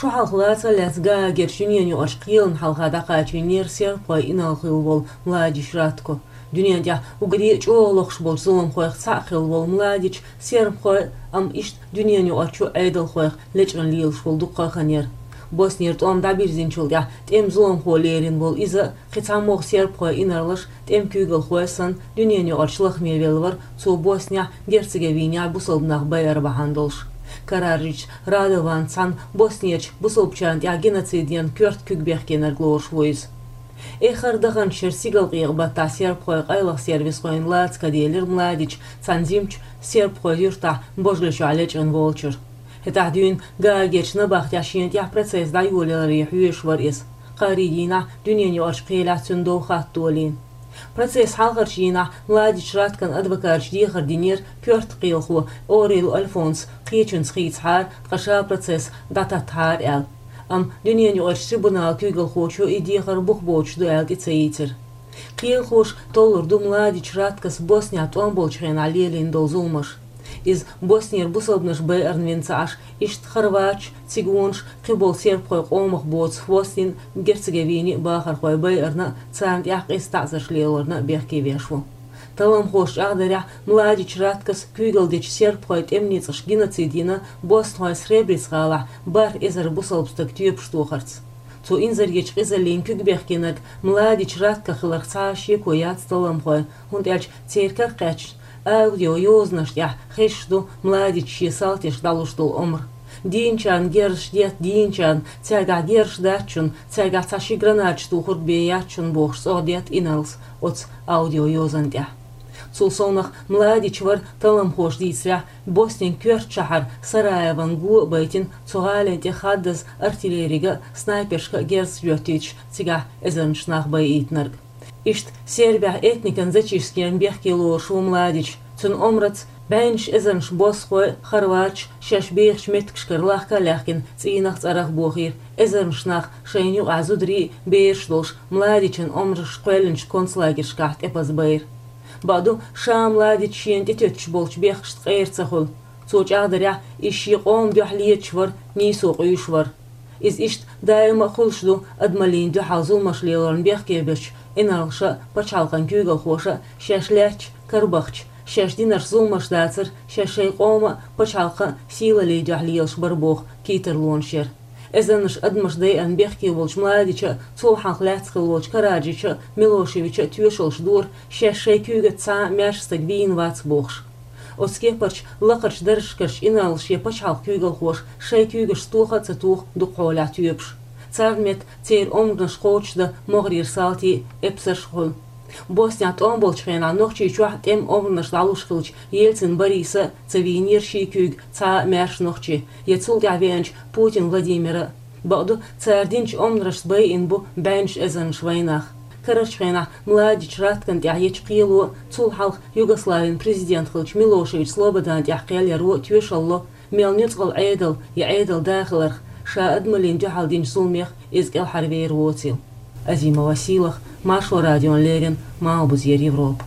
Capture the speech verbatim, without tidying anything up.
Шу хьалха лаца а лаьцна Гаагерчу дуьненаюкъарчу кхелана хьалха дӀакхачийнера сербхойн инарла хилла волу Младич Ратко. Дуьнен тӀехь уггаре а чӀогӀа лохуш болчу зуламхойх цхьаъ хилла волу Младич сербхойн, амма иштта дуьненаюкъарчу Ӏедалхойх лечкъина лелаш волу дуккха а хан яра. Боснера тӀом дӀабирзинчул тӀаьхьа тӀеман зуламхо лерина волу иза а, кхин цхьамогӀа сербхойн инарлаш, тӀеман куьйгалхой санна, дуьненаюкъарчу лахаме велла вара, цо Боснехь, Герцеговинехь бусалба нах байар бахьана долуш. Караджич Радован цхьаьна Боснерчу бусалбачарна тӀехь геноцид ян коьрта куьг бехкенарг лоруш ву иза. Эххар даханчу шеран стигалкъекъа баттахь сербхойн къайлаха сервисхойн лаца каделира Младич цхьана жимачу сербхойн юьртахь божалла чохь лечкъина волчуьра. ХӀетахь дуьйна Гаагерчу набахтехь шена тӀехь процесс дӀайолаяларе хьоьжуш вара иза. Кхаарин дийнахь дуьненаюкъарчу кхелехь цуьнан дов хатта долийна. Процессан хьалхарчу дийнахь Младич Раткон адвокаташа дехар динера коьрта кхелахо Орел Альфонс кхечуьнца хийцахьара, ткъа ша процесс дӀататтахьара аьлла. Амма дуьненаюкъарчу трибуналан куьйгалхочо и дехар бух боцуш ду аьлла тӀе ца йийцира. Кхелахоша толлур ду Младич Раткос Боснехь тӀом болчу хенахь лелийна долу зуламаш. Иза Боснера бусалбанаш байарна вина ца Ӏаш, иштта хорваташ, цигонаш, кхиболу сербхойн къомах боцу Боснин, Герцеговинин бахархой байарна а, царна тӀехь къиза таӀзарш лелорна а бехке веш ву. Талламхоша чӀагӀдарехь, Младич Раткос куьйгалла дечу сербхойн тӀеман ницкъаша геноцид йина боснхойн Сребрец-гӀалахь бархӀ эзар бусалба стаг тоьпаш тохарца. Цу инзаречу къизаллина куьг бехкенарг Младич Ратко хиларх цхьа а шеко яц талламхойн, хӀунда аьлча церан каракхаьчна аудиойозанаш тӀехь хезаш ду Младича шен салташка дӀалуш долу омра. Дийначарна герзаш детта дийначарна, цаьргахь герзаш дац шуна, цаьргахь цхьа ши гранаташ тухург бен яц шуна бохуш цӀогӀа детта инарлас оцу аудиойозанна тӀехь. Цул совнах Младич вара, талламхоша дийцарехь, Боснин коьрта шахьар Сараевон го а байтина, цу гӀалин тӀе хаддаза артиллерига а, снайпершка а герзаш доьттуьйтуш, цигахь эзарнаш нах байийтинарг. Иштта Сербехь этникан зачистка ян бехке лоруш ву Младич. Цуьнан омраца бӀеннаш эзарнаш боснхой а, хорваташ а шаьш бехачу меттигашкара лахка а лаьхкина, цӀийнах а, цӀарах а бохийра, эзарнаш нах, шайна юкъахь зударий а, бераш а долуш, Младичан омрашца кхоьллинчу концлагершкахь тӀепаза байра. Бакъду, ша Младич шена тӀетоьттуш болчу бехкашца къера ца хуьлу. Цо чӀагӀдарехь, иза шен къоман дуьхьа леташ вара, нийсо къуьйсуш вара. Иза иштта даима а хуьлуш ду, адамаллина дуьхьал зуламаш лелорна бехке бечу инарлаша а, пачхьалкхан куьйгалхоша а шаьш лаьтташ, карабахча, шаьш динарш зуламаш дацара, шаьш шайн къоман а, пачхьалкхан а сийлаллин дуьхьа лелаш бара боху кийсарлонаш яра. Эзарнаш адамаш дайъина бехке волчу Младича а, цул хьалха лаьцна хилла волчу Караджича а, Милошевича а тоьшаллаш дора, шаьш шайн куьйгаца цхьа а маьрша стаг вийна вац бохуш. Оцу кепарчу лакхарчу даржашкарчу инарлаша я пачхьалкхан куьйгалхоша шайн куьйгашца тоха а ца тоха дукха хьолехь тоьпаш. Царна метта церан омранаш кхочушдан могӀарера салтий а, эпсарш а хуьлу. Боснехь тӀом болчу хенахь Нохчийчохь тӀеман омранаш дӀалуш хиллачу Ельцин Бориса а ца вийнера ший куьйга цхьа а маьрша нохчи, я цул тӀаьхьа веанчу Путин Владимира а. Бакъду, цара динчу омранашца байина бу бӀеннаш эзарнаш вайнах. Карарчу хенахь Младич Раткан тӀехь ечу кхело а, цул хьалха Югославин президент хиллачу Милошевич Слободана тӀехь кхел яро а тоьшалла ло, мел нуьцкъала Ӏедал я Ӏедал да хиларх, ша адамаллина дуьхьал динчу зуламех иза кӀелхьарвер воцийла. Азимова Сийлаха, Маршо радиона леррина, Малхбузера Европа.